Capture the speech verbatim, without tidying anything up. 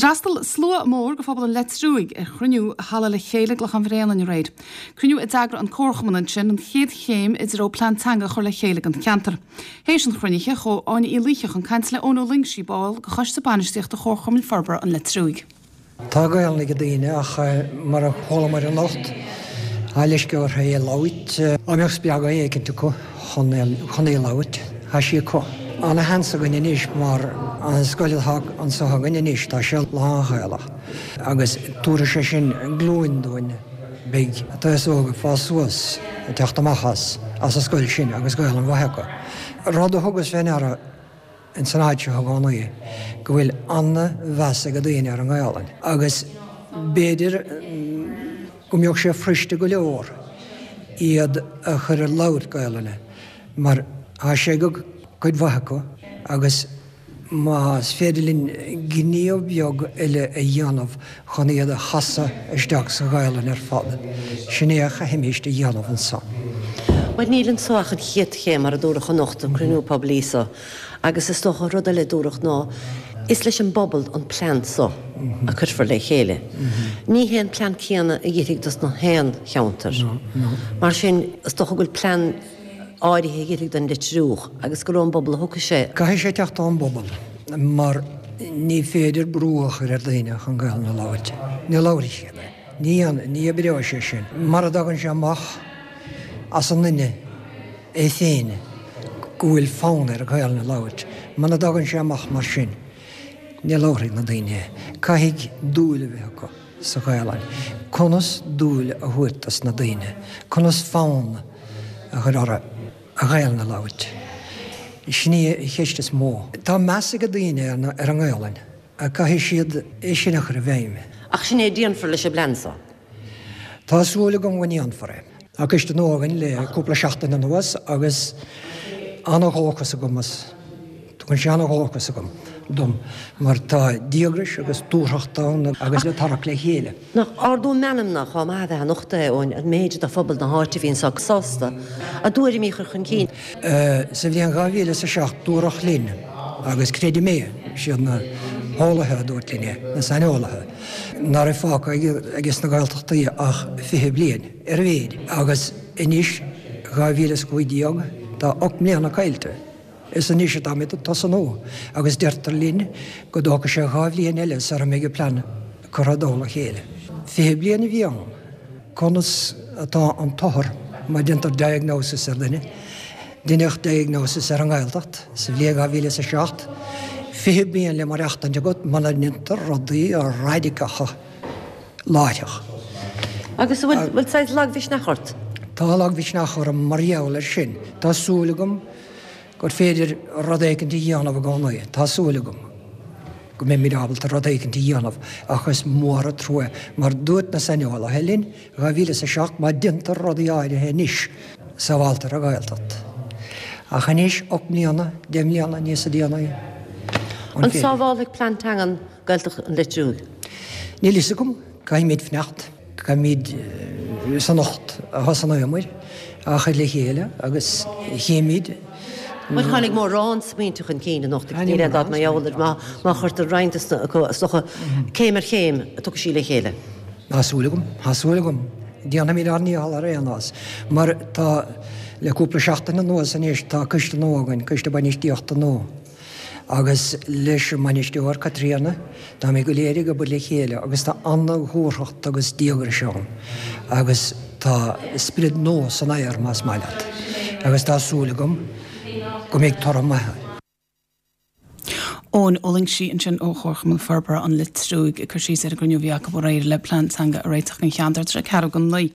D'fhreastail slua mór de phobal an Leitriúigh ar chruinniú i halla Le Chéile i gClochán Bhréanainn aréir. Cruinniú a d'eagraigh an Comharchumann ansin an chéad chéim i dtreo plean teanga a chur le chéile don cheantar. Théis an chruinnithe chuaigh Áine Uí Laoithe chun cainte le Eoin Ó Loingsigh ball de choiste bainistíochta Chomharchumann Forbartha an Leitriúigh. Tá Gaelainn ag daoine ach mar a chualamar anocht tá leisce orthu é a labhairt. Dá mbeadh spreagadh éicint acu chun chun é a labhairt, tá sí acu. Ana-sheans againn anois mar an scoil atá anseo againn anois tá sé lán-Ghaelach agus tabharfaidh sé sin glúin dúinn beidh an t-aos óg ag fás suas ag teacht amach as as an scoil sin agus Gaelainn mhaith acu. Rud a thugas fé ndeara ins an áit seo i gcónaí go bhfuil ana-mheas ag daoine ar an nGaelainn agus b'fhéidir go mbeadh sé fuiriste go leor iad a chur ag labhairt Gaelainne mar tá sé go cuid mhaith acu agus más féidir linn gníomh beag eile a dhéanamh chun iad a chasadh isteach sa Ghaelainn ar fad, sin é a chaithfimís a dhéanamh anso. Bhuel níl anso ach an chéad chéim mar a dúradh anocht an cruinniú poiblí so agus is dócha rud eile a dúradh ná is leis an bpobal an plean so a cuirfear le chéile. Ní hé an plean céanna a oirfidh dos na haon cheantar. Mar sin is dócha go bhfuil plean áirithe a oirfidh don Leitriúch agus gur ón bpobal a thiocfaidh sé. Caithfidh sé teacht ón bpobal mar ní féidir brú a chur ar dhaoine chun Gaelainn a labhairt. Ní labharfaidh siad é. Ní ní oibreoidh sé sin. Mara dtagann sé amach as an nduine é féin go bhfuil fonn air Gaelainn a labhairt, muna dtagann sé amach mar sin, ní labharfaidh na daoine é. Caithfidh dúil a bheith acu sa Ghaelainn. Conas dúil a thabhairt dos na daoine? Conas fonn a chur orthu an Ghaelainn a labhairt? Sin í an cheist is mó. Tá meas ag daoine ar an nGaelainn. Caithfidh siad é sin a chur i bhfeidhm. Ach sin é a déanfar leis an bplean so. Tá súil agam go ndéanfar é. Tá coiste nua againn le cúpla seachtain anuas agus an-dhóchas agam as. Tugann sé an-dhóchas agam dom mar tá díograis agus dúthracht ann agus le tarrac le chéile. Nach ardú meanmna chomh maith a bheith anocht é Eoin, an méid de phobal na háite a bhí anso sásta a dtuairimí a chur chun cinn. Sa bhliain dhá mhíle is a seacht dúradh linn, agus creidim é, siad na heolaithe a dúirt linn é, na saineolaithe, ná raibh fágtha ages na Gaeltachtaí ach fiche bliain, ar a mhéid, agus anois, dhá mhíle is a cúig déag, tá ocht mbliana caillte. Is anois atáimid ag tosnú agus deirtear linn go dtógfaidh sé dhá bhliain eile sara mbeidh an plean curtha i dtoll a chéile. Fiche bliain a bhí ann. Conas atá an t-othar má déantar diagnosis ar dhuine? Deineadh diagnosis ar an nGaeltacht sa bhliain dhá mhíle is a seacht. Fiche bliain le maireachtaint agat muna ndéantar rudaí raidiceacha láithreach. Agus an bhfuil saghas lagmhisneach ort? Tá lagmhisneach orm mar gheall air sin. Tá súil agam gur féidir rud éicint a dhéanamh i gcónaí. Tá súil agam go mbeimid ábalta rud éicint a dhéanamh ach is mór an trua mar dúirt na saineolaithe linn dhá mhíle is a seacht má déantar rudaí áirithe anois, sábháltar an Ghaeltacht. Ach anois, ocht mbliana, deich mbliana níosa déanaí, an An féidir? sábhálfaidh plean teangan Gaeltacht an Leitriúigh? Níl fhios agam. Caithfimid fanacht. Caithfimid is anocht a thosnaíomar á chur le chéile agus chífimid. Bhuel, tháinig mórán smaointe chun cinn anocht agus níl aon dabht mar gheall air má chuirtear roinnt de na acu, is dócha, céim ar chéim, tiocfaidh sí le chéile. Tá súil agam, tá súil agam. Déanfaimid ár ndícheall ar aon nós. Mar tá, le cúpla seachtain anuas anois, tá coiste nua againn, coiste bainistíochta nua. Agus leis an mbainisteoir, Caitríona, táimid go léir ag obair le chéile agus tá an-dhúthracht agus díograis ann agus tá sprid nua san aer, más maith leat, agus tá súil agam go mbeidh toradh maith ann. Eoin Ó Loingsigh ansin ó Chomharchumann Forbartha an Leitriúigh ag cur síos ar an gcruinniú a bhí acu aréir le plean teanga a réiteach don cheantar. Tá sé ceathrú go naoi.